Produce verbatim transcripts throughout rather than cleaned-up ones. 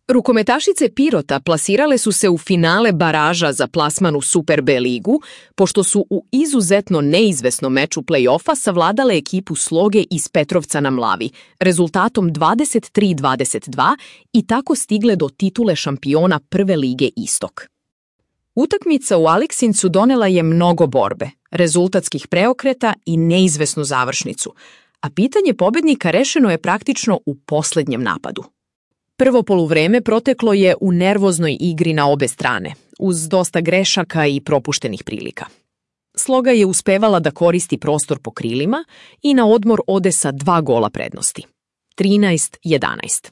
Rukometašice Pirota plasirale su se u finale baraža za plasman u Super B ligu, pošto su u izuzetno neizvesnom meču play-offa savladale ekipu Sloge iz Petrovca na Mlavi, rezultatom dvadeset tri dvadeset dva i tako stigle do titule šampiona Prve lige Istok. Utakmica u Aleksincu donela je mnogo borbe, rezultatskih preokreta i neizvesnu završnicu, a pitanje pobednika rešeno je praktično u poslednjem napadu. Prvo poluvreme proteklo je u nervoznoj igri na obe strane, uz dosta grešaka i propuštenih prilika. Sloga je uspevala da koristi prostor po krilima i na odmor ode sa dva gola prednosti, trinaest jedanaest.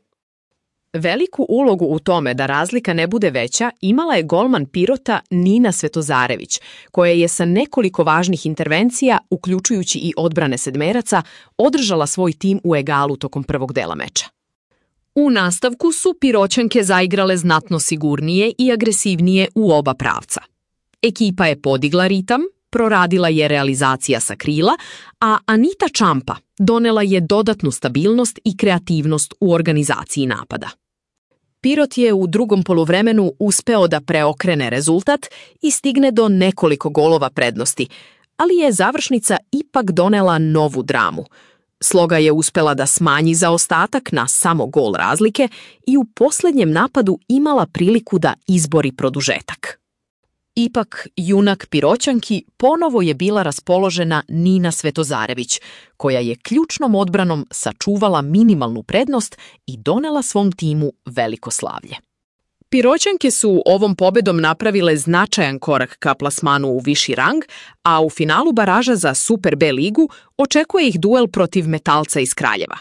Veliku ulogu u tome da razlika ne bude veća imala je golman Pirota Nina Svetozarević, koja je sa nekoliko važnih intervencija, uključujući i odbrane sedmeraca, održala svoj tim u egalu tokom prvog dela meča. U nastavku su Piroćanke zaigrale znatno sigurnije i agresivnije u oba pravca. Ekipa je podigla ritam, proradila je realizacija sa krila, a Anita Čampa donela je dodatnu stabilnost i kreativnost u organizaciji napada. Pirot je u drugom poluvremenu uspeo da preokrene rezultat i stigne do nekoliko golova prednosti, ali je završnica ipak donela novu dramu. Sloga je uspela da smanji zaostatak na samo gol razlike i u poslednjem napadu imala priliku da izbori produžetak. Ipak, junak Piroćanki ponovo je bila raspoložena Nina Svetozarević, koja je ključnom odbranom sačuvala minimalnu prednost i donela svom timu veliko slavlje. Piroćanke su ovom pobedom napravile značajan korak ka plasmanu u viši rang, a u finalu baraža za Super B ligu očekuje ih duel protiv Metalca iz Kraljeva.